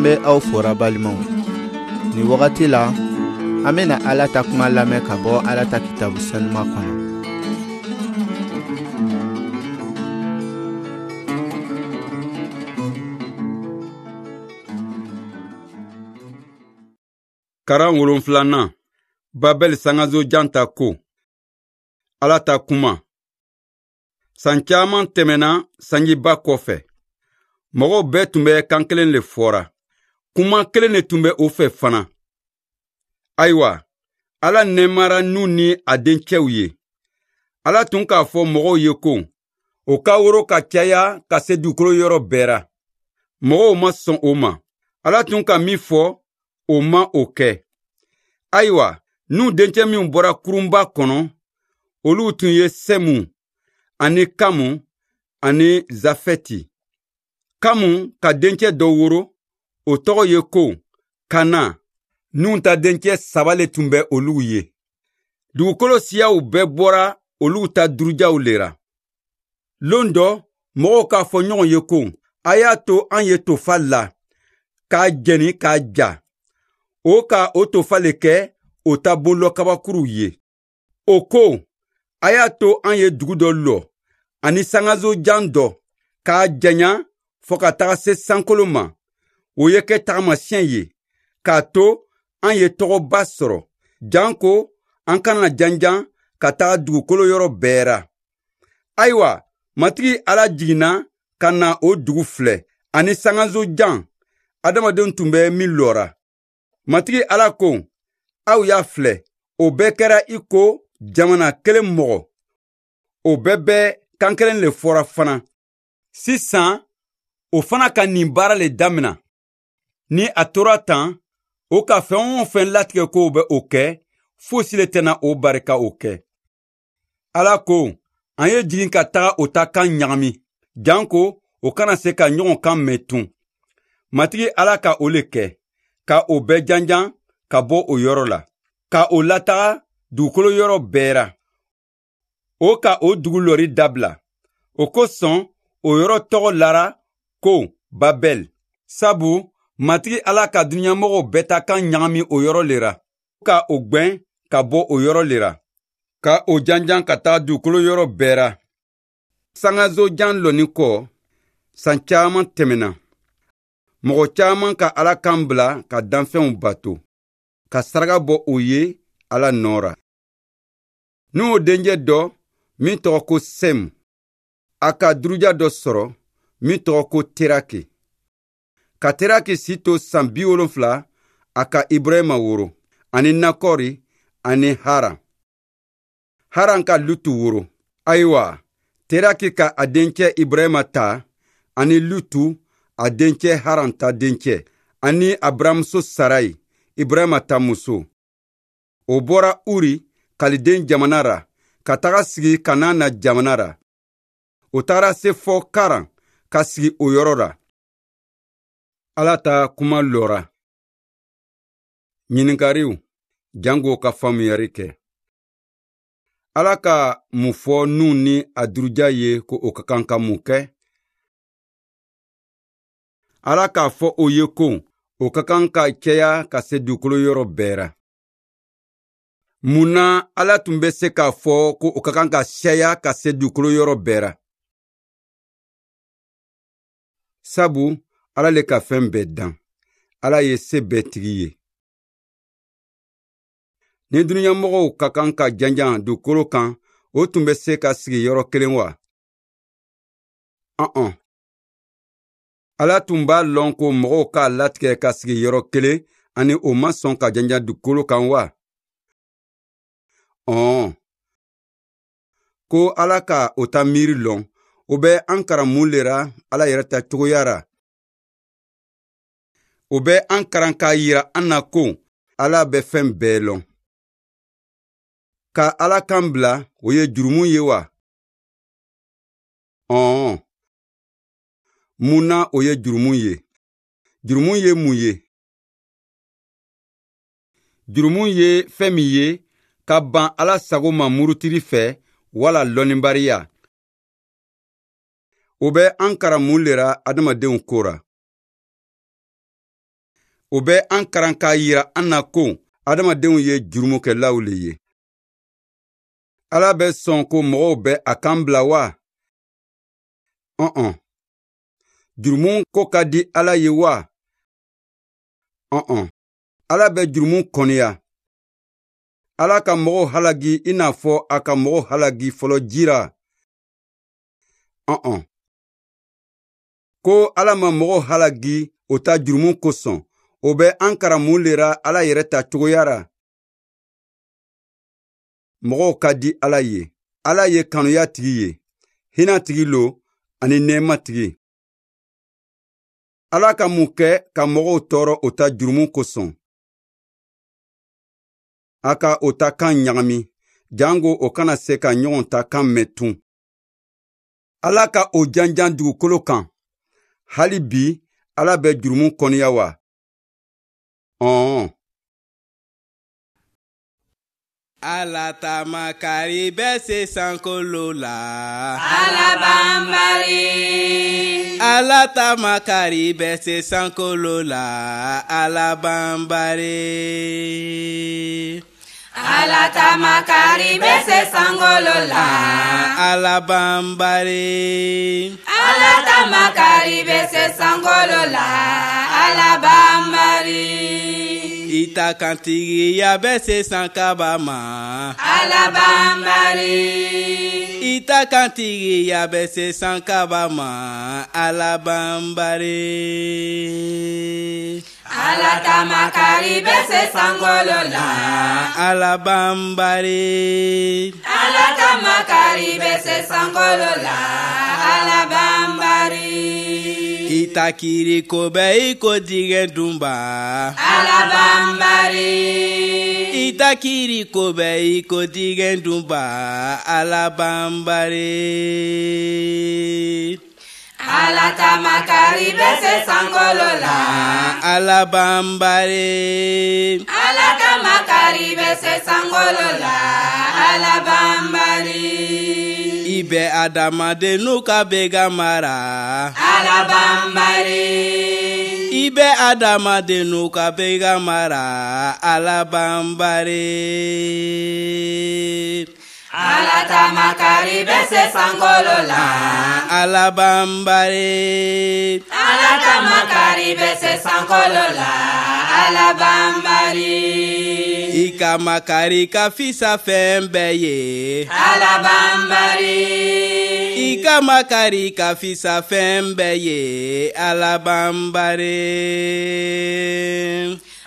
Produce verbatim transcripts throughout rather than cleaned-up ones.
An bɛ aw fora balimaw. Nin wagati la, an bɛna Ala ta kuma lamɛn ka bɔ Ala ta kitabu senuma kɔnɔ. Karan wolonfilanan, Babɛl sangaso jan ta ko. Ala ta kuma. San caman tɛmɛna sanjiba kɔfɛ. Mɔgɔw bɛɛ tun bɛ kan kelen le fɔra. Kuma kelen de tun bɛ o fɛ fana. Ayiwa, Ala nɛɛmara Nuhu ni a dencɛw ye. Ala tun k'a fɔ mɔgɔw ye ko, o ka woro ka caya ka se dugukolo yɔrɔ bɛɛ ra. Mɔgɔw ma sɔn o ma. Ala tun ka min fɔ, o ma o kɛ. Ayiwa, Nuhu dencɛ minw bɔra kurunba kɔnɔ, olu tun ye Sɛmu ani Kamu ani Zafɛti. Kamu ka dencɛ dɔ woro, o tɔgɔ ye ko Kana. Nuhu ta dencɛ saba le tun bɛ olu ye. Dugukolo siyaw bɛɛ bɔra olu ta durujaw le ra. Lon dɔ, mɔgɔw k'a fɔ ɲɔgɔn ye ko, a y'a to an ye tofa la, k'a jɛni k'a ja. O ka o tofa le kɛ o ta bonlɔ kabakuruw ye. O ko, a y'a to an ye dugu dɔ lɔ, ani sangaso jan dɔ, k'a janya fɔ ka taga se sankolo ma. O ye kɛ tagamasiyɛn ye, k'a to an ye tɔgɔba sɔrɔ, janko an kana janjan ka taga dugukolo yɔrɔ bɛɛ ra. Ayiwa, Matigi Ala jiginna ka na o dugu filɛ, ani sangaso jan, adamadenw tun bɛ min lɔra. Matigi Ala ko, aw y'a filɛ, o bɛɛ kɛra i ko jamana kelen mɔgɔ. O bɛɛ bɛ kan kelen le fɔra fana. Sisan, o fana ka nin baara le damina. Ni a tora tan, o ka fɛn o fɛn latigɛ k'o bɛ o kɛ, fosi le tɛna o barika o kɛ. Ala ko, an ye jigin ka taga o ta kan ɲagami, janko o kana se ka ɲɔgɔn kan mɛn tun. Matigi Ala ka o le kɛ, ka o bɛɛ janjan ka bɔ o yɔrɔ la, ka o lataga dugukolo yɔrɔ bɛɛ ra. O ka o dugu lɔri dabila. O kosɔn, o yɔrɔ tɔgɔ lara ko Babɛl. Sabu Matigi Ala ka dunuɲamɔgɔw bɛɛ ta kan ɲagami o yɔrɔ le ra, ka o gwɛn ka bɔ o yɔrɔ le ra, ka o janjan ka taga dugukolo yɔrɔ bɛɛ ra. Sangaso jan lɔni kɔ, san caman tɛmɛna. Mɔgɔ caman ka Ala kan bila ka danfɛnw bato, ka saraka bɔ o ye Ala nɔ ra. Nuhu dencɛ dɔ min tɔgɔ ko Sɛmu, a ka duruja dɔ sɔrɔ min tɔgɔ ko Teraki. Ka Teraki si to san bi wolonfila, a ka Ibrahima woro, ani Nakɔri ani Haran. Haran ka Lutu woro. Ayiwa, Teraki ka a dencɛ Ibrahima ta, ani Lutu a dencɛ Haran ta dencɛ, ani Abramuso Sarayi, Ibrahima ta muso. O bɔra Uri, Kaliden jamana ra, ka taga sigi Kanana jamana ra. O tagara se fɔ Karan, ka sigi o yɔrɔ ra. Ala ta kuma lɔra. Ɲininkariw, jango ka faamuyari kɛ. Ala ka mun fɔ Nuhu ni a duruja ye ko o ka kan ka mun kɛ? Ala k'a fɔ o ye ko o ka kan ka caya ka se dugukolo yɔrɔ bɛɛ ra. Mun na Ala tun bɛ se k'a fɔ ko o ka kan ka caya ka se dugukolo yɔrɔ bɛɛ ra? Sabu Ala le ka fɛn bɛɛ dan. Ala ye se bɛɛ tigi ye. Ni dunuɲamɔgɔw ka kan ka janjan dugukolo kan, o tun bɛ se ka sigi yɔrɔ kelen wa? Ɔn-ɔn. Ala tun b'a lɔn ko mɔgɔw k'a latigɛ ka sigi yɔrɔ kelen ani o ma sɔn ka janjan dugukolo kan wa? Ɔn. Ko Ala ka o ta miiri lɔn, o bɛ an karan mun le ra Ala yɛrɛ ta cogoya ra? O bɛ an karan k'a yira an na ko Ala bɛ fɛn bɛɛ lɔn. Ka Ala kan bila, o ye jurumu ye wa? Ɔn. Mun na o ye jurumu ye? Jurumu ye mun ye? Jurumu ye fɛn min ye ka ban Ala sago ma murutili fɛ wala lɔnnibariya. O bɛ an karan mun le ra adamadenw ko ra? O bɛ an karan k'a yira an na ko adamadenw ye jurumukɛlaw le ye. Ala bɛ sɔn ko mɔgɔw bɛ a kan bila wa? Ɔn-ɔn. Jurumu ko ka di Ala ye wa? Ɔn-ɔn. Ala bɛ jurumu kɔniya. Ala ka mɔgɔw halagi i n'a fɔ a ka mɔgɔw halagi fɔlɔ jira. Ɔn-ɔn. Ko Ala ma mɔgɔw halagi o ta jurumu kosɔn, o bɛ an karan mun le ra Ala yɛrɛ ta cogoya ra? Mɔgɔw ka di Ala ye. Ala ye kanuya tigi ye, hinɛ tigi lo ani nɛɛma tigi. Ala ka mun kɛ ka mɔgɔw tɔɔrɔ o ta jurumu kosɔn? A ka o ta kan ɲagami, jango o kana se ka ɲɔgɔn ta kan mɛn tun. Ala ka o janjan dugukolo kan. Hali bi, Ala bɛ jurumu kɔniya wa? Ɔn. Ala ta makari bɛ se sankolo la. Ala banbari. Ala ta makari bɛ se sankolo la. Ala banbari. Ala ta makari bɛ se sankolo la. Ala banbari. Ala ta makari bɛ se sankolo la. Ala banbari. I ta kantigiya bɛ se sankaba ma. Ala banbari. I ta kantigiya bɛ se sankaba ma. Ala banbari. Ala ta makari bɛ se sankolo la. Ala banbari. Ala ta makari bɛ se sankolo la. Ala banbari. I ta kiri ko bɛ i ko dingɛ dunba. Ala banbari. I ta kiri ko bɛ i ko dingɛ dunba. Ala banbari. Ala ta makari bɛ se sankolo la. Ala banbari. Ala ta makari bɛ se sankolo la. Ala banbari. I bɛ adamadennu ka bɛgan mara. Ala banbari. I bɛ adamadennu ka bɛgan mara. Ala banbari. Ala ta makari bɛ se sankolo la. Ala banbari. Ala ta makari bɛ se sankolo la. Ala banbari. I ka makari ka fisa fɛn bɛɛ ye. Ala banbari. I ka makari ka fisa fɛn bɛɛ ye. Ala banbari.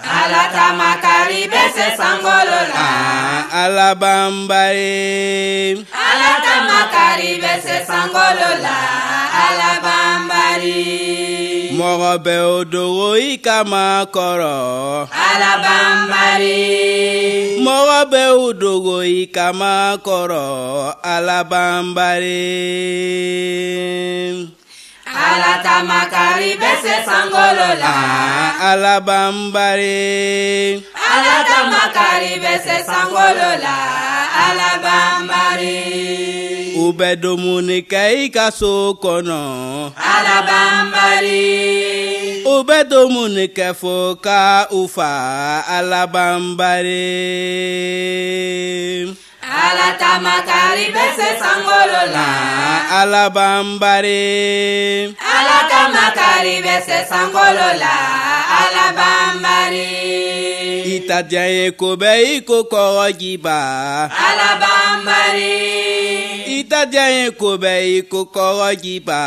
Ala ta makari bɛ se sankolo la. Ala banbari. Ala ta makari bɛ se sankolo la. Ala banbari. Mɔgɔ bɛ o dogo i kama kɔrɔ. Ala banbari. Mɔgɔ bɛ o dogo i kama kɔrɔ. Ala banbari. Ala ta makari bɛ se sankolo la. Ala banbari. Ala ta makari bɛ se sankolo la. Ala banbari. U bɛ dumuni kɛ i ka so kɔnɔ. Ala banbari. U bɛ dumuni kɛ fo ka u fa. Ala banbari. Ala ta makari bɛ se sankolo la. Ala banbari. Ala ta makari bɛ se sankolo la. Ala banbari. I ta diya ye ko bɛ i ko kɔgɔjiba. Ala banbari. I ta diya ye ko bɛ i ko kɔgɔjiba.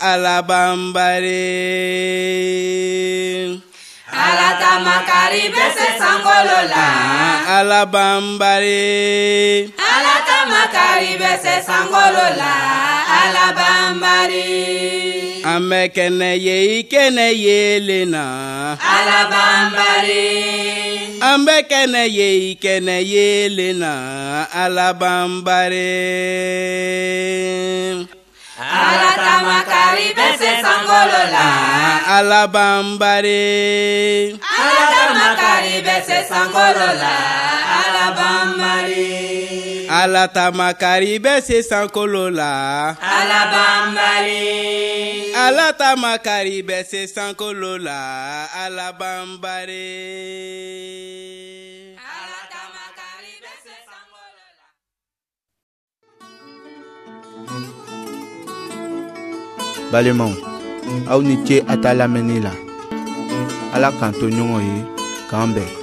Ala banbari. Ala ta makari bɛ se sankolo la. Ala banbari. Ala ta makari bɛ se sankolo la. Ala banbari. An bɛ kɛnɛ ye i kɛnɛ yeelen na. Ala banbari. An bɛ kɛnɛ ye i kɛnɛ yeelen na. Ala banbari. Ala ta makari bɛ se sankolo la. Ala banbari. Ala ta makari bɛ se sankolo la. Ala banbari. Ala ta makari bɛ se sankolo la. Ala banbali. Ala ta makari bɛ se sankolo la. Ala banbali. Ala ta makari bɛ se sankolo la. Balimaw, aw ni ce a ta lamɛnni la. Ala k'an to ɲɔgɔn ye, k'an bɛn.